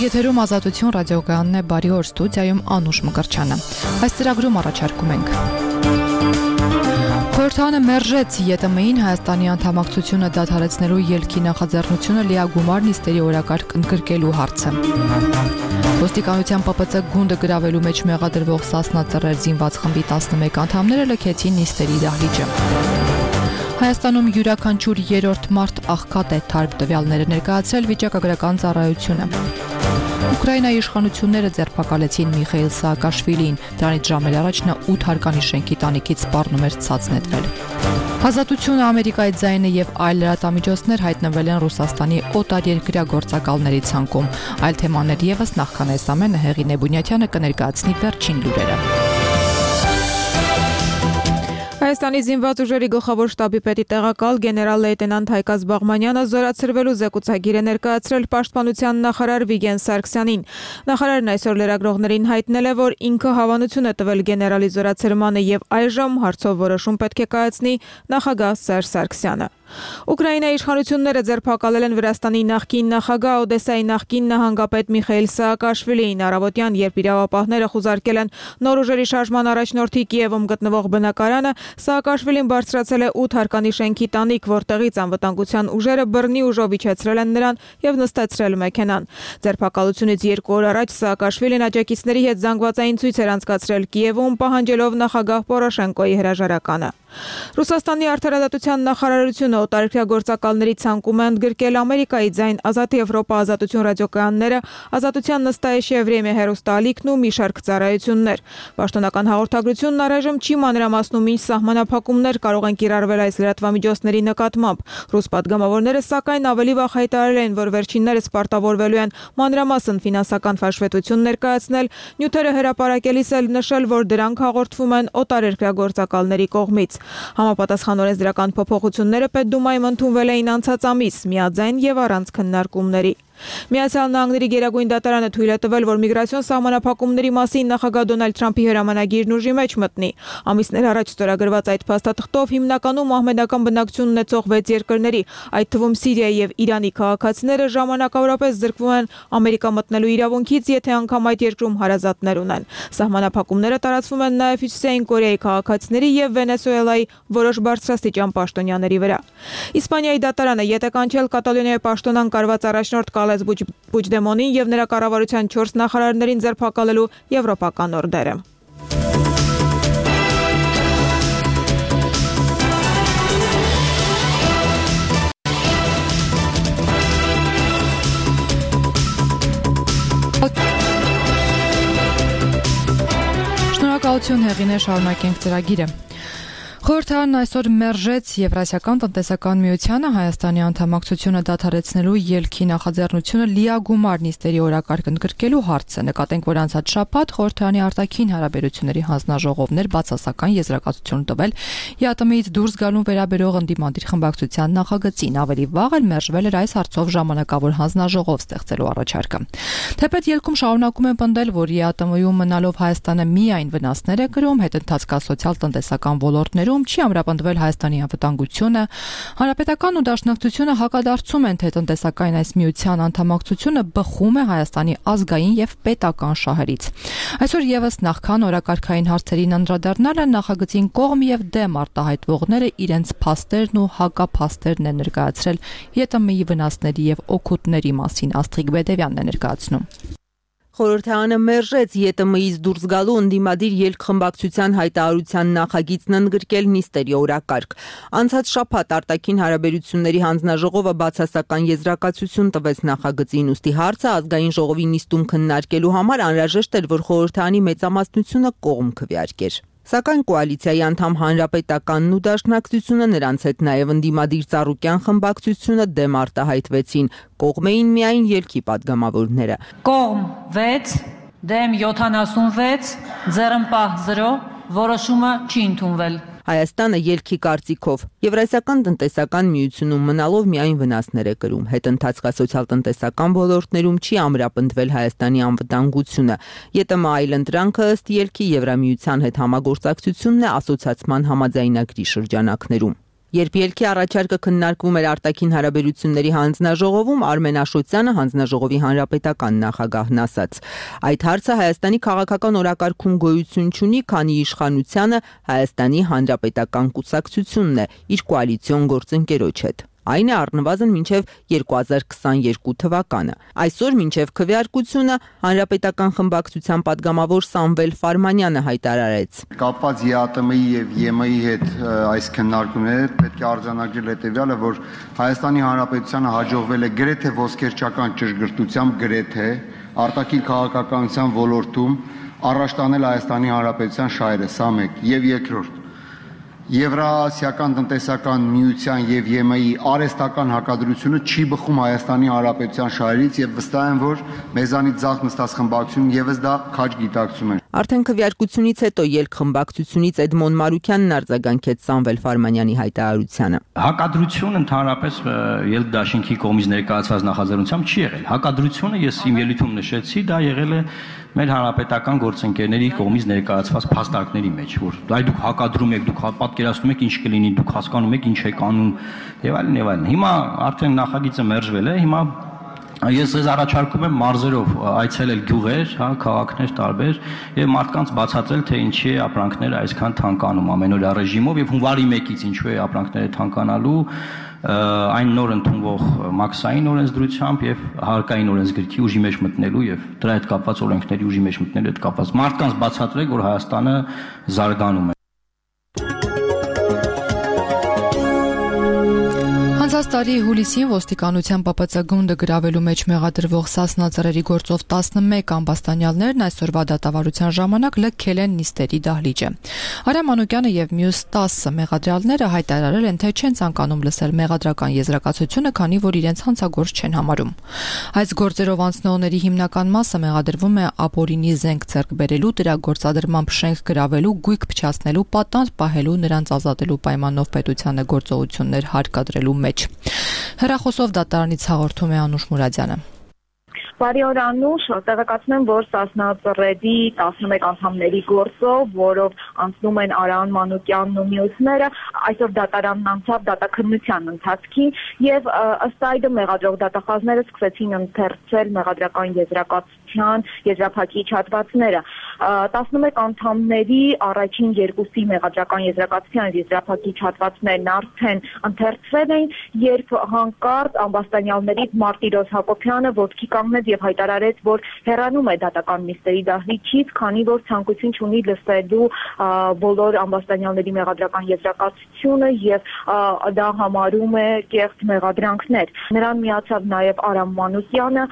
Եթերում Ազատություն ռադիոկայանն է, բարի օր, ստուդիայում Անուշ Մկրչյանը։ Այս ծրագրում առաջարկում ենք. Խորհրդարանը մերժեց ԵՏՄ-ին Հայաստանի անդամակցությունը դադարեցնելու ելքի նախաձեռնությունը լիագումար նիստերի օրակարգ ընդգրկելու հարցը։ Ոստիկանության ՊՊՑ գունդը գրավելու մեջ մեղադրվող Սասնա Ծռեր զինված խմբի 11 անդամները լքեցին նիստերի դահլիճը։ Հայաստանում յուրաքանչյուր երրորդ մարդ աղքատ է, թարմ տվյալները ներկայացրել վիճակագրական ծառայությունը։ Ուկրաինայի իշխանությունները ձերբակալեցին Միխայիլ Սաակաշվիլիին, դրանից ժամեր առաջ նա 8 հարկանի շենքի տանիքից սպառնում էր ցած նետվել։ Ազատությունը, Ամերիկայի ձայնը եւ այլ լրատվամիջոցներ հայտնվել են Ռուսաստանի օտարերկրյա գործակալների ցանկում։ Այլ թեմաներ եւս նախքան այս ամենը Հեղին Էբունյաթյանը կներկայացնի վերջին լուրերը։ Հայաստանի զինված ուժերի գլխավոր շտաբի պետի տեղակալ գեներալ լեյտենանտ Հայկազ Բաղմանյանը զորացրվելու զեկուցագիր է ներկայացրել պաշտպանության նախարար Վիգեն Սարգսյանին։ Նախարարն այսօր լրագրողներին հայտնել է, որ ինքը հավանություն է տվել գեներալի զորացրմանը եւ այժմ հարցով որոշում պետք է կայացնի նախագահ Սերժ Սարգսյանը։ Ուկրաինայի իշխանությունները ձերբակալել են Վրաստանի նախկին նախագահ Օդեսայի նախկին նահանգապետ Միխայիլ Սաակաշվիլիին առավոտյան, երբ իրավապահները խուզարկել են նոր ուժերի շարժման առաջնորդի Կիևում գտնվող բնակարանը, Սաակաշվիլին բարձրացել է 8 հարկանի շենքի տանիք, որտեղից անվտանգության ուժերը բռնի ուժով իջեցրել են նրան եւ նստեցրել մեքենան։ Ձերբակալությունից 2 օր առաջ Սաակաշվիլին աջակիցների հետ զանգվածային ցույց էր անցկացրել Կիևում, պահանջելով նախագահ Պորոշենկոյի հրաժարականը։ Ռուսաստանի արդարադատության նախարարությունը օտարերկրյա գործակալների ցանկում է ընդգրկել Ամերիկայի ձայն, Ազատ Եվրոպա, Ազատություն ռադիոկայանները, Ազատության Նստայեշե Վրեմյա հեռուստաալիքն ու մի շարք ծառայություններ։ Պաշտոնական հաղորդագրությունն առայժմ չի մանրամասնում ինչ սահմանափակումներ կարող են կիրառվել այս լրատվամիջոցների նկատմամբ։ Ռուս պատգամավորները սակայն ավելի վաղ հայտարարել են, որ վերջիններս պարտավորվելու են մանրամասն ֆինանսական հաշվետվություն ներկայացնել, նյութերը հրապարակելիս էլ նշել, որ դրանք հաղորդվում են օտարերկրյա գործակալների կողմից։ Համապատասխան օրենսդրական փոփոխությունները Պետդումայում ընդունվել էին անցած ամիս, միաձայն եւ առանց քննարկումների։ Միացյալ Նահանգների Գերագույն դատարանը թույլ է տվել, որ միգրացիոն սահմանափակումների մասին նախագահ Դոնալդ Թրամփի հրամանագիրն ուժի մեջ մտնի։ Ամիսներ առաջ ստորագրված այդ փաստաթղթով հիմնականում ահմեդական բնակչություն ունեցող 6 երկրների, այդ թվում Սիրիայի եւ Իրանի քաղաքացիները ժամանակավորապես զրկվում են Ամերիկա մտնելու իրավունքից, եթե անգամ այդ երկրում հարազատներ ունեն։ Սահմանափակումները տարածվում են նաեւ Հյուսիսային Կորեայի քաղաքացիների եւ Վենեսուելայի որոշ բարձրաստիճան պաշտոնյաների վրա։ Իսպանիայի դատարանը յետե կանչել Կատալոնիայի պաշտոնան կարված առաջնորդ Պուջդեմոնին եւ նրա կառավարության 4 նախարարներին ձերբակալելու եվրոպական օրդերը։ Շնորհակալություն Հեղինե, շարունակենք ծրագիրը։ Խորհրդարանն այսօր մերժեց Եվրասիական տնտեսական միությանը Հայաստանի անդամակցությունը դադարեցնելու ելքի նախաձեռնությունը լիագումար նիստերի օրակարգ ընդգրկելու հարցը։ Նկատենք, որ անցած շաբաթ Խորհրդարանի արտաքին հարաբերությունների հանձնաժողովներ բացասական եզրակացություն տվել ԵԱՏՄ-ից դուրս գալուն վերաբերող ընդդիմադիր խմբակցության նախագծին, ավելի վաղ էլ մերժվել էր այս հարցով ժամանակավոր հանձնաժողով ստեղծելու առաջարկը։ Թեպետ ելքում շարունակում են պնդել, որ ԵԱՏՄ-ում մնալով Հայաստանը միայն վնասներ է կրում, հետընթացկա սոցիալ-տնտեսական ոլորտներում չի ամրապնդվել Հայաստանի անվտանգությունը, Հանրապետական ու Դաշնակցությունը հակադարձում են, թե տնտեսական այս միության անդամակցությունը բխում է Հայաստանի ազգային եւ պետական շահերից։ Այսօր եւս նախքան օրակարգային հարցերին անդրադառնալը նախագծին կողմ եւ դեմ արտահայտվողները իրենց փաստերն ու հակափաստերն են ներկայացրել ԵՏՄ-ի վնասների եւ օգուտների մասին։ Աստղիկ Բեդևյանն է ներկայացնում։ Խորհրդարանը մերժեց ԵՏՄ-ից դուրս գալու ընդդիմադիր ելքխմբակցության հայտարարության նախագիծն ընդգրկել նիստերի օրակարգ։ Անցած շաբաթ արտաքին հարաբերությունների հանձնաժողովը բացասական եզրակացություն տվեց նախագծին, ուստի հարցը ազգային ժողովի նիստում քննարկելու համար անհրաժեշտ էր, որ խորհրդարանի մեծամասնությունը կողմ քվեարկեր։ Սակայն կոալիցիայի անդամ Հանրապետականն ու Դաշնակցությունը, նրանց հետ նաև ընդդիմադիր Ծառուկյան խմբակցությունը դեմ արտահայտվեցին, կողմ էին միայն ելքի պատգամավորները։ Կողմ 6, դեմ 76, ձեռնպահ 0, որոշումը չի ընդունվել։ Հայաստանը ելքի կարծիքով Եվրասիական տնտեսական միությունում մնալով միայն վնասներ է կրում, հետընթացկա սոցիալ-տնտեսական ոլորտներում չի ամրապնդվել Հայաստանի անվտանգությունը։ ԵՏՄ այլընտրանքը ըստ ելքի Եվրամիության հետ համագործակցությունն է ասոցիացման համաձայնագրի շրջանակներում։ Երբ ելքի առաջարկը քննարկվում էր արտաքին հարաբերությունների հանձնաժողովում, Արմեն Աշոտյանը, հանձնաժողովի հանրապետական նախագահն, ասաց. Այդ հարցը Հայաստանի քաղաքական օրակարգում գոյություն չունի, քանի իշխանությանը Հայաստանի հանրապետական կուսակցությունն է իր կոալիցիոն գործընկերոջ հետ։ Այն է առնվազն մինչև 2022 թվականը։ Այսօր մինչև քվեարկությունը հանրապետական խմբակցության падգամավոր Սամվել Ֆարմանյանը հայտարարեց. Կապված ԵԱՏՄ-ի եւ ԵՄ-ի հետ այս քննարկումները պետք է արձանագրել հետեւյալը, որ Հայաստանի Հանրապետությանը հաջողվել է գրեթե ոսկերչական ճշգրտությամբ գրեթե արտաքին քաղաքականության ոլորտում առաջ տանել Հայաստանի Հանրապետության շահերը, սա մեկ, եւ երկրորդ Եվրասիական տնտեսական միության եւ ԵՄ-ի արհեստական հակադրությունը չի բխում Հայաստանի Հանրապետության շահերից եւ վստահ եմ, որ մեզանից ձախ նստած խմբակցությունն եւս դա քաջ գիտակցում են։ Արդեն քվեարկությունից հետո ելք խմբակցությունից Էդմոն Մարուկյանն արձագանքեց Սամվել Ֆարմանյանի հայտարարությանը։ Հակադրություն ընդհանրապես ելք դաշինքի կողմից ներկայացված նախաձեռնությամբ չի եղել։ Հակադրությունը ես իմ ելույթում նշեցի, դա եղել է մեր հանրապետական գործընկերների կողմից ներկայացված փաստարկների մեջ, որ այ դուք հակադրում եք, դուք պատկերացնում եք ինչ կլինի, դուք հասկանում եք ինչ եք անում եւ այլն եւ այլն։ Հիմա արդեն նախագիծը մերժվել է, հիմա ես ձեզ առաջարկում եմ մարզերով այցելել գյուղեր, քաղաքներ տարբեր եւ մարդկանց բացատրել, թե ինչի է ապրանքները այսքան թանկանում ամենօրյա ռեժիմով եւ հունվարի 1-ից ինչու է ապրանքները թանկանալու այն նոր ընդունվող մաքսային օրենսդրությամբ եւ հարկային օրենսգրքի ուժի մեջ մտնելու եւ դրա հետ կապված օրենքների ուժի մեջ մտնելու հետ կապված մարդկանց բացատրեք, որ Հայաստանը զարգանում է։ Տարի հուլիսին ոստիկանության ՊՊՑ գունդը գրավելու մեջ մեղադրվող Սասնա ծռերի գործով 11 ամբաստանյալներն այսօրվա դատավարության ժամանակ լքել են նիստերի դահլիճը։ Արամ Մանուկյանը եւ մյուս 10 մեղադրյալները հայտարարել են, թե չեն ցանկանում լսել մեղադրական եզրակացությունը, քանի որ իրենց հանցագործ չեն համարում։ Այս գործերով անցնողների հիմնական մասը մեղադրվում է ապօրինի զենք ձեռք բերելու, դրա գործադրմամբ շենք գրավելու, գույք փչացնելու, պատանդ պահելու, նրանց ազատելու պայմանով պետությանը գործողություններ հարկադրելու մեջ։ Հեռախոսով դատարանից հաղորդում է Անուշ Մուրադյանը։ Բարի օր Անուշ, տեղեկացնեմ, որ Սասնա ծռերի 11 անդամների գործով, որով անցնում են Արամ Մանուկյանն ու մյուսները, այսօր դատարանն անցավ դատաքննության ընթացքին եւ ըստ այդմ մեղադրող դատախազները սկսեցին ընթերցել մեղադրական եզրակացության եզրափակիչ հատվածները։ 11 անդամների առաջին երկուսի մեղադրական եզրակացության եզրափակիչ հատվածներն արդեն ընթերցվել էին, երբ հանկարծ ամբաստանյալներից Մարտիրոս Հակոբյանը ոտքի կանգնեց եւ հայտարարեց, որ հեռանում է դատական նիստերի դահլիճից, քանի որ ցանկություն չունի լսելու բոլոր ամբաստանյալների մեղադրական եզրակացությունը եւ դա համարում է կեղծ մեղադրանքներ։ Նրան միացավ նաեւ Արամ Մանուկյանը,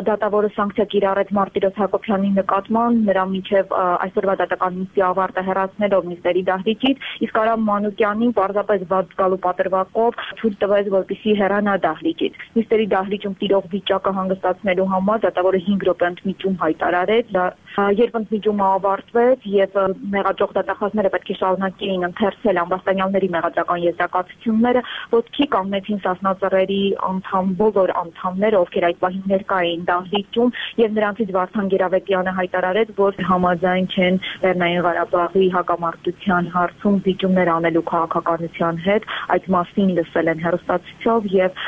դատավորը սանկցիա կիրառեց Մարտիրոս Հակոբյանի նկատմամբ, նրա միջև այսօրվա դատական նիստի ավարտը հեռացնելով նիստերի դահլիճից, իսկ Արամ Մանուկյանին պարզապես բաց գալու պատրվակով ցույց տվեց, որպեսզի հեռանա դահլիճից։ Նիստերի դահլիճում տիրող վիճակը հանգստացնելու համար դատավորը 5 րոպե ընդմիջում հայտարարեց, երբ ընդմիջումը ավարտվեց եւ մեղադրող դատախազները պետք է շարունակեին ընթերցել ամբաստանյալների մեղադրական եզրակացությունները, ոտքի կանգնեցին Սասնա ծռերի բոլոր անդամները, ովքեր այդ պահին ներկա էին դահլիճում, եւ նրանցից Վարդան Գերավետյանը հայտարարեց, որ համաձայն չեն Լեռնային Ղարաբաղի հակամարտության հարցում զիջումներ անելու քաղաքականության հետ, այդ մասին լսել են հեռուստացույցով եւ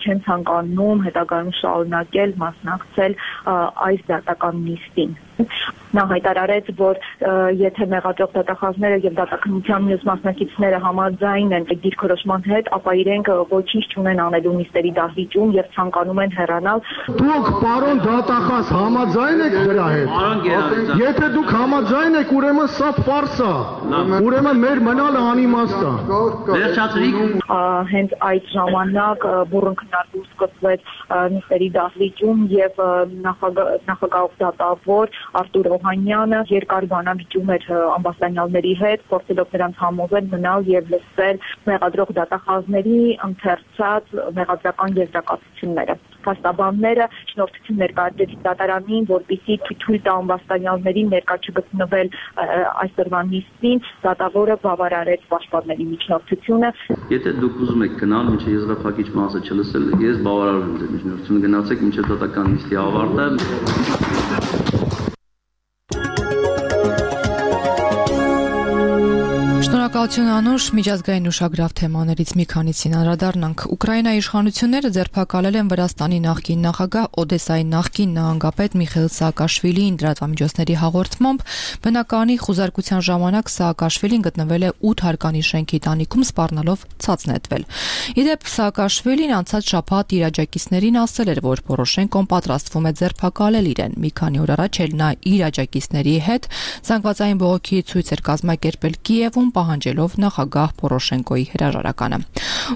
չեն ցանկանում հետագայում շարունակել մասնակցել այս դատական նիստին։ Նա հայտարարեց, որ եթե մեղադրող դատախազները եւ դատաքննության մյուս մասնակիցները համաձայն են դիրքորոշման հետ, ապա իրենք ոչինչ չունեն անելու նիստերի դահլիճում եւ ցանկանում են հեռանալ։ Դուք, պարոն դատախազ, համաձայն եք դրա հետ։ Եթե դուք համաձայն եք, ուրեմն սա ֆարս է։ Ուրեմն մեր մնալը անիմաստ է։ Վերջացրիք։ Հենց այդ ժամանակ բուռն քննարկում սկսվեց նիստերի դահլիճում եւ նախագահ դատավոր Արտուր Օհանյանը երկար բանավիճում էր ամբաստանյալների հետ, փորձելով նրանց համոզել մնալ եւ լսել մեղադրող դատախազների ընթերցած մեղադրական եզրակացությունները։ Փաստաբանները շնորհքություն ներկայացրեցին դատարանին, որպեսզի թույլ տա ամբաստանյալներին ներկա չգտնվել այսօրվա նիստին, դատավորը բավարարեց պաշտպանների միջնորդությունը։ Եթե դուք ուզում եք գնալ, մինչև եզրափակիչ մասը չլսել, ես բավարարում եմ ձեր միջնորդությունը, գնացեք մինչև դատական նիստի ավարտը։ Շնորհակալություն Անուշ, միջազգային ուշագրավ թեմաներից մի քանիսին անդրադառնանք։ Ուկրաինայի իշխանությունները ձերբակալել են Վրաստանի նախկին նախագահ Օդեսայի նախկին նահանգապետ Միխայիլ Սաակաշվիլիին լրատվամիջոցների հաղորդմամբ բնականի խուզարկության ժամանակ Սաակաշվիլին գտնվել է 8 հարկանի շենքի տանիքում սպառնալով ցած նետվել։ Իդեպ Սաակաշվիլին անցած շաբաթ իր աջակիցներին ասել էր, որ Պորոշենկոն պատրաստվում է ձերբակալել իրեն։ Մի քանի օր առաջ էլ նա իր աջակիցների հետ զանգվածային բողոքի ցույց էր կազմակերպել Կիևում, պահանջելով նախագահ Պորոշենկոյի հրաժարականը։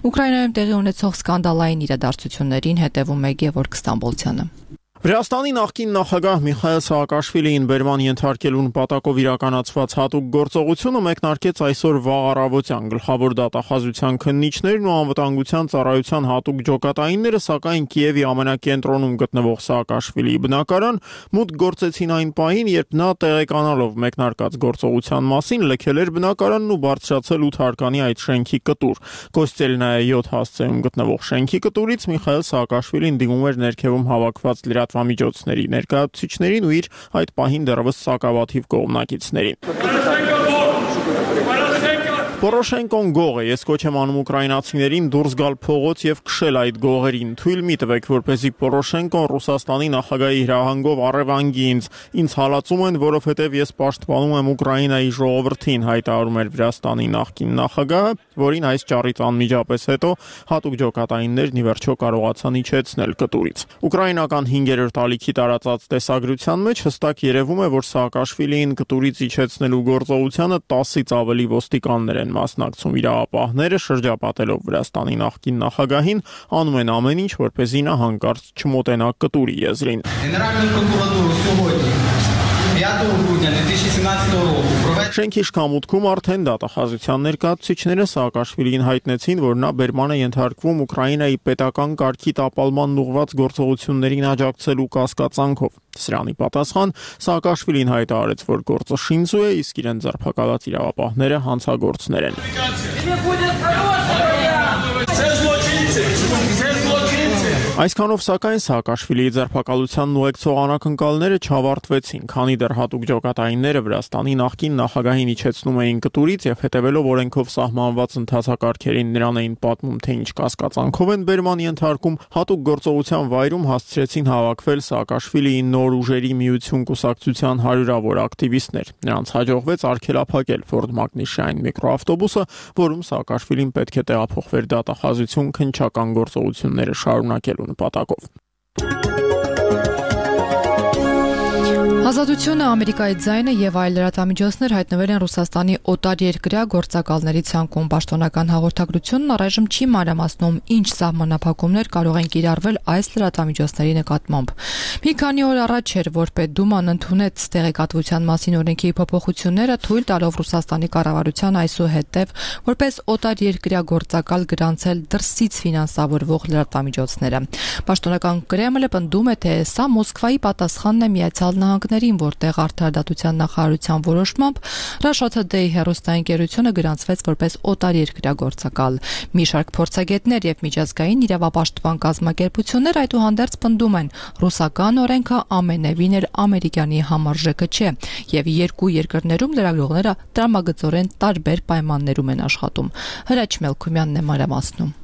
Ուկրաինայում տեղի ունեցող սկանդալային իրադարձություններին հետևում է Գևորգ Ստամբոլցյանը։ Վրաստանի նախկին նախագահ Միխայիլ Սաակաշվիլիին բերման ենթարկելու նպատակով իրականացված հատուկ գործողությունը մեկնարկեց այսօր վաղ առավոտյան։ Գլխավոր դատախազության քննիչներն ու անվտանգության ծառայության հատուկ ջոկատայինները, սակայն Կիևի ամենակենտրոնում գտնվող Սաակաշվիլիի բնակարան մուտք գործեցին այն պահին, երբ նա տեղեկանալով մեկնարկած գործողության մասին լքել էր բնակարանն ու բարձրացել 8 հարկանի այդ շենքի կտուր։ Կոստելնայա 7 հասցեում գտնվող շենքի կտուրից Միխայիլ Սաակաշվիլին դիմում էր ներքևում հավաքված լրատվամիջոցների ներկայացուցիչներին ու իր այդ պահին դեռևս սակավաթիվ կողմնակիցներին։ Պորոշենկոն գող է, ես կոչ եմ անում ուկրաինացիներին դուրս գալ փողոց եւ քշել այդ գողերին։ Թույլ մի տվեք, որպեսզի Պորոշենկոն Ռուսաստանի նախագահի հրահանգով առևանգի ինձ հալածում են, որովհետեւ ես պաշտպանում եմ Ուկրաինայի ժողովրդին, հայտարարում էր Վրաստանի նախկին նախագահը, որին այս ճառից անմիջապես հետո հատուկ ջոկատայիններն ի վերջո կարողացան իջեցնել կտուրից։ Ուկրաինական 5-րդ ալիքի տարածած տեսագրության մեջ հստակ երևում է, որ Սաակաշվիլիին կտուրից իջեցնելու գործողությանը 10-ից ավելի ոստիկաններ են մասնակցում։ Իրավապահները շրջապատելով Վրաստանի նախկին նախագահին անում են ամեն ինչ, որպեսզի նա հանկարծ չմոտենա կտուրի եզրին։ Շենքի շքամուտքում արդեն դատախազության ներկայացուցիչները Սաակաշվիլիին հայտնեցին, որ նա բերման է ենթարկվում Ուկրաինայի պետական կարգի տապալման ուղղված գործողություններին աջակցելու կասկածանքով։ Սրանի պատասխան Սաակաշվիլին հայտարարեց, որ գործը շինծու է, իսկ իրեն ձերբակալած իրավապահները հանցագործներ են։ Այսքանով սակայն Սաակաշվիլիի ձերբակալությանն ուղեկցող անակնկալները չավարտվեցին, քանի դեռ հատուկ ջոկատայինները Վրաստանի նախկին նախագահին իջեցնում էին կտուրից եւ հետեւելով օրենքով սահմանված ընթացակարգերին նրան էին պատմում, թե ինչ կասկածանքով են բերման ենթարկում, հատուկ գործողության վայրում հասցրեցին հավաքվել Սաակաշվիլիի նոր ուժերի միություն կուսակցության հարյուրավոր ակտիվիստներ։ Նրանց հաջողվեց արգելափակել Ford Magnus-ային միկրոավտոբուսը, որում Սաակաշվիլին պետք է տեղափոխվեր դատախազություն քննչական գործողությունները շարունակելու նպատակով։ Ազատությունը, Ամերիկայի ձայնը եւ այլ լրատվամիջոցներ հայտնվել են Ռուսաստանի օտար երկրյա գործակալների ցանկում։ Պաշտոնական հաղորդագրությունն առայժմ չի մանրամասնում, ինչ սահմանափակումներ կարող են կիրառվել այս լրատվամիջոցների նկատմամբ։ Մի քանի օր առաջ էր, որ Պետդուման ընդունեց տեղեկատվության մասին օրենքի փոփոխությունները, թույլ տալով Ռուսաստանի կառավարության այսուհետև որպես օտար երկրյա գործակալ գրանցել դրսից ֆինանսավորվող լրատվամիջոցները։ Պաշտոնական Կրեմլը պնդում է, թե սա Մոսկվայի պատասխանն է Միացյալ Նահանգներին, որտեղ արդարադատության նախարարության որոշմամբ Russia Today հեռուստաընկերությունը գրանցվեց որպես օտար երկրյա գործակալ։ Մի շարք փորձագետներ եւ միջազգային իրավապաշտպան կազմակերպություններ այդուհանդերձ պնդում են, ռուսական օրենքը ամենևին էլ ամերիկյանի համարժեքը չէ եւ երկու երկրներում լրագրողները տրամագծորեն տարբեր պայմաններում են աշխատում։ Հրաչ Մելքումյանն է մանրամասնում։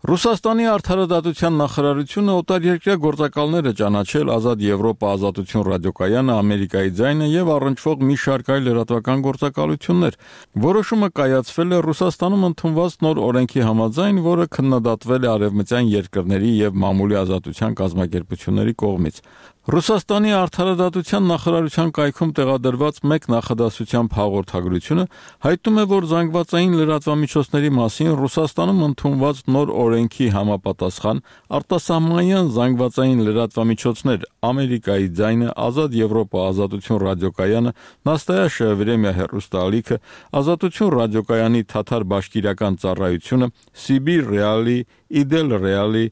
Ռուսաստանի արդարադատության նախարարությունը օտար երկրյա գործակալները ճանաչել Ազատ Եվրոպա ազատություն ռադիոկայանը, Ամերիկայի ձայնը եւ առնչվող մի շարք այլ լրատվական գործակալություններ։ Որոշումը կայացվել է Ռուսաստանում ընդունված նոր օրենքի համաձայն, որը քննադատվել է արևմտյան երկրների եւ մամուլի ազատության կազմակերպությունների կողմից։ Ռուսաստանի արդարադատության նախարարության կայքում տեղադրված մեկ նախադասությամբ հաղորդագրությունը հայտնում է, որ զանգվածային լրատվամիջոցների մասին Ռուսաստանում ընդունված նոր օրենքի համապատասխան արտասահմանյան զանգվածային լրատվամիջոցներ Ամերիկայի ձայնը, Ազատ Եվրոպա ազատություն ռադիոկայանը, Նաստայաշը Վրեմիա հեռուստաալիքը, Ազատություն ռադիոկայանի թաթար բաշկիրական ծառայությունը, Սիբիր Ռեալի, Իդել Ռեալի,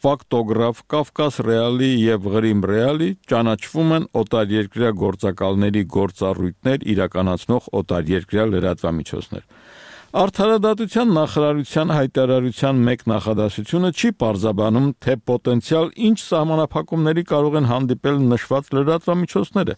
Ֆակտոգրաֆ, Կավկաս Ռեալի եւ Ղրիմ Ռեալի ճանաչվում են օտարերկրյա գործակալների գործառույթներ իրականացնող օտարերկրյա լրատվամիջոցներ։ Արդարադատության նախարարության հայտարարության մեկ նախադասությունը չի պարզաբանում, թե պոտենցիալ ինչ սահմանափակումների կարող են հանդիպել նշված լրատվամիջոցները,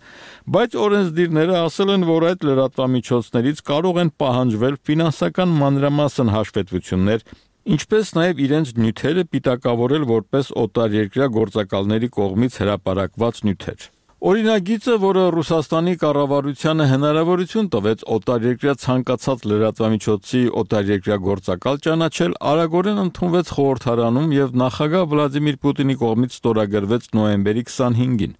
բայց օրենսդիրները ասել են, որ այդ լրատվամիջոցներից կարող են պահանջվել ֆինանսական մանրամասն հաշվետվություններ, ինչպես նաև իրենց նյութերը պիտակավորել որպես օտարերկրյա գործակալների կողմից հրապարակված նյութեր։ Օրինագիծը, որը Ռուսաստանի կառավարությանը հնարավորություն տվեց օտարերկրյա ցանկացած լրատվամիջոցի օտարերկրյա գործակալ ճանաչել, արագորեն ընդունվեց խորհրդարանում եւ նախագահ Վլադիմիր Պուտինի կողմից ստորագրվեց նոյեմբերի 25-ին։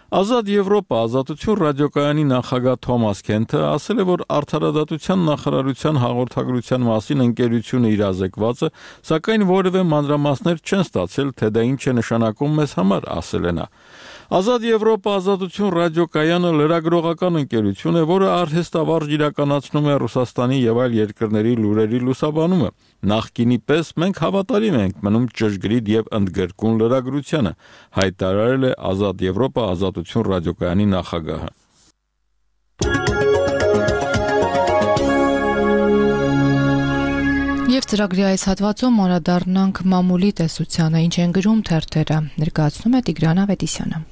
Ազատ Եվրոպա ազատություն ռադիոկայանի նախագահ Թոմաս Քենթը ասել է, որ արդարադատության նախարարության հաղորդագրության մասին ընկերությունը իրազեկված է, սակայն որևէ մանրամասներ չեն ստացել, թե դա ինչ է նշանակում մեզ համար, ասել է նա։ Ազատ Եվրոպա ազատություն ռադիոկայանը լրագրողական ընկերություն է, որը արհեստավարժ իրականացնում է Ռուսաստանի եւ այլ երկրների լուրերի լուսաբանումը։ Նախկինի պես մենք հավատարիմ ենք մնում ճշգրիտ եւ ընդգրկուն լրագրությանը, հայտարարել է Ազատ Եվրոպա ազատություն ռադիոկայանի նախագահը։ Եվ ծրագրի այս հատվածում անդրադառնանք մամուլի տեսությանը, ինչ են գրում թերթերը, ներկայացնում է Տիգրան Ավետիսյանը։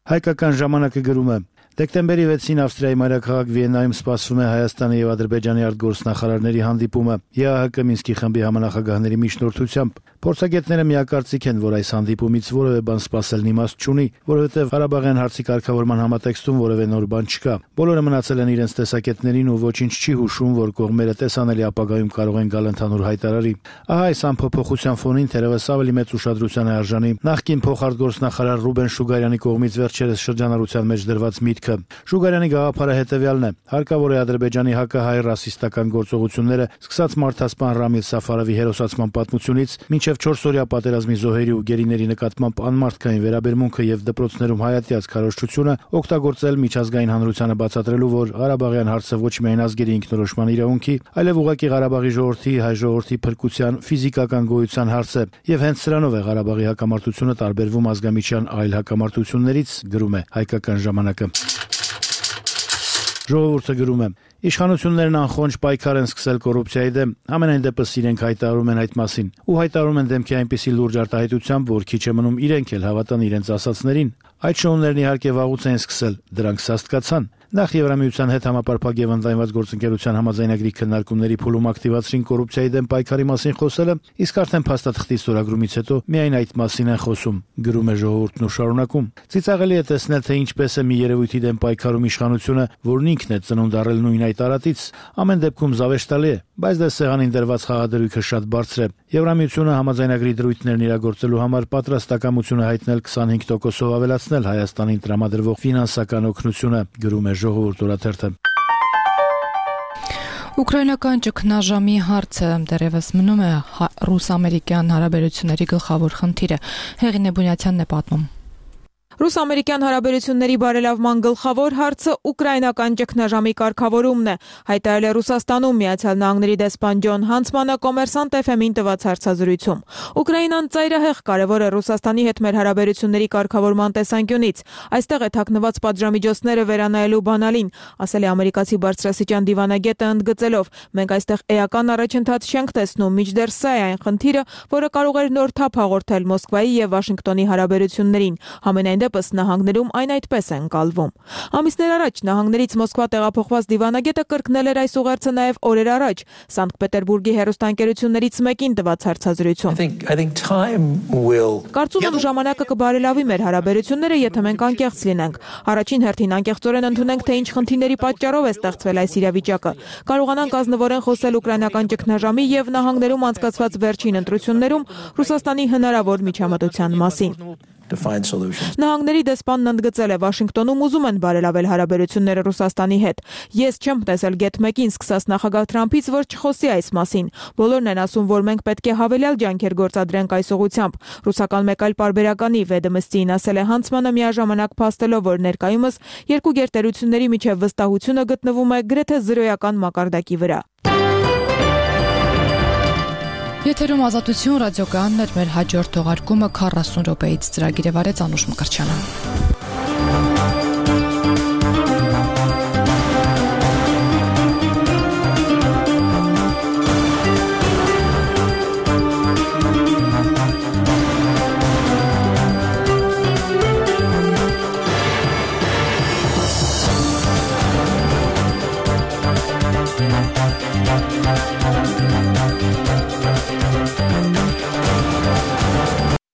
Հայկական ժամանակը գրում է. Դեկտեմբերի 6-ին Ավստրիայի մայրաքաղաք Վիեննայում սպասվում է Հայաստանի եւ Ադրբեջանի արտգործնախարարների հանդիպումը ԵԱՀԿ Մինսկի խմբի համանախագահների միջնորդությամբ։ Փորձագետները միակարծիք են, որ այս հանդիպումից որևէ բան սպասելն իմաստ չունի, որովհետև Ղարաբաղյան հարցի կարգավորման համատեքստում որևէ նոր բան չկա։ Բոլորը մնացել են իրենց տեսակետներին ու ոչինչ չի հուշում, որ կողմերը տեսանելի ապագայում կարող են գալ ընդհանուր հայտարարի։ Ահա այս ամփոփոխության ֆոնին թերևս ավելի մեծ ուշադրության է արժանի նախկին փոխարտգործնախարար Ռուբեն Շուգարյանի կողմից վերջերս շրջանառության մեջ դրված միտքը։ Շուգարյանի գաղափարը հետևյալն է. հարկավոր է Ադրբեջանի հակահայ ռասիստական գործողությունները, սկսած մարդասպան Ռամիլ Սաֆարովի հերոսացման պատմությունից, մինչև 4-օրյա պատերազմի զոհերի ու գերիների նկատմամբ անմարդկային վերաբերմունքը եւ դպրոցներում հայատյաց քարոզչությունը օգտագործել միջազգային հանրությանը բացատրելու, որ Ղարաբաղյան հարցը ոչ միայն ազգերի ինքնորոշման իրավունքի, այլև ուղղակի Ղարաբաղի ժողովրդի, հայ ժողովրդի փրկության, ֆիզիկական գոյության հարց է, եւ հենց սրանով է Ղարաբաղի հակամարտությունը տարբերվում ազգամիջյան այլ հակամարտություններից, գրում է Հայկական ժամանակը։ Ժողովուրդը գրում է. Իշխանություններն անխոնջ պայքար են սկսել կոռուպցիայի դեմ, ամենայն դեպս իրենք հայտարարում են այդ մասին, ու հայտարարում են դեմքի այնպիսի լուրջ արտահայտությամբ, որ քիչ է մնում իրենք էլ հավատան իրենց ասածներին։ Այդ շոուներն իհարկե վաղուց են սկսել, դրանք սաստկացան։ Նախ Եվրամիության հետ համապարփակ եւ ընդլայնված գործընկերության համաձայնագրի քննարկումների փուլում ակտիվացրին կոռուպցիայի դեմ պայքարի մասին խոսելը, իսկ արդեն փաստաթղթի ստորագրումից հետո միայն այդ մասին են խոսում, գրում է Ժողովուրդն ու շարունակում։ Ծիծաղելի է տեսնել, թե ինչպես է մի երևույթի դեմ պայքարում իշխանությունը, որն ինքն է ծնունդ առել նույն այդ տարածից, ամեն դեպքում զավեշտալի է, բայց դե սեղանին դրված խաղադրույքը շատ բարձր է։ Եվրամիությունը համաձայնագրի դրույթներն իրագործելու համար պատրաստակամություն է հայտնել 25%-ով ավելացնել Հայաստանին տրամադրվող ֆինանսական օգնությունը, գրում է Ժողովուրդ օրաթերթը։ Ուկրաինական ճգնաժամի հարցը դեռևս մնում է ռուս-ամերիկյան հարաբերությունների գլխավոր խնդիրը, Հեղինե Բունյացյանն է պատմում։ Ռուս-ամերիկյան հարաբերությունների բարելավման գլխավոր հարցը ուկրաինական ճգնաժամի կարգավորումն է, հայտարարել է Ռուսաստանում Միացյալ Նահանգների դեսպան Ջոն Հանցմանը Կոմերսանտ FM-ին տված հարցազրույցում։ Ուկրաինան ծայրահեղ կարևոր է Ռուսաստանի հետ մեր հարաբերությունների կարգավորման տեսանկյունից։ Այստեղ է թաքնված պատժամիջոցները վերանայելու բանալին, ասել է ամերիկացի բարձրաստիճան դիվանագետը ընդգծելով. մենք այստեղ էական առաջընթաց չենք տեսնում, մինչդեռ սա է այն խնդիրը, որը կարող էր նոր թափ հաղորդել Մոսկվայի եւ Վաշինգտոնի հարաբերություններին։ Համենայն դեպս նահանգներում այն այդպես է ընկալվում։ Ամիսներ առաջ նահանգներից Մոսկվա տեղափոխված դիվանագետը կրկնել էր այս ուղերձը նաև օրեր առաջ Սանկտ Պետերբուրգի հեռուստաընկերություններից մեկին տված հարցազրույցում։ Կարծում եմ ժամանակը կբարելավի մեր հարաբերությունները, եթե մենք անկեղծ լինենք։ Առաջին հերթին անկեղծորեն ընդունենք, թե ինչ խնդիրների պատճառով է ստեղծվել այս իրավիճակը։ Կարողանանք ազնվորեն խոսել ուկրաինական ճգնաժամի եւ նահանգներում անցկացված վերջին ընտրություններում Ռուսաստանի հնարավոր միջամտության մասին։ Նահանգների դեսպանն ընդգծել է, Վաշինգտոնում ուզում են բարելավել հարաբերությունները Ռուսաստանի հետ։ Ես չեմ տեսել գետ մեկին սկսած նախագահ Թրամփից, որ չխոսի այս մասին։ Բոլորն են ասում, որ մենք պետք է հավելյալ ջանքեր գործադրենք այս ուղղությամբ։ Ռուսական մեկ այլ պարբերականի Վեդոմստիին ասել է Հանցմանը միաժամանակ փաստելով, որ ներկայումս երկու գերտերությունների միջև վստահությունը գտնվում է գրեթե զրոյական մակարդակի վրա։ Եթերում ազատություն ռադիոկայանն էր, մեր հաջորդ թողարկումը 40 րոպեից ծրագիրը վարեց Անուշ Մկրտչյանը։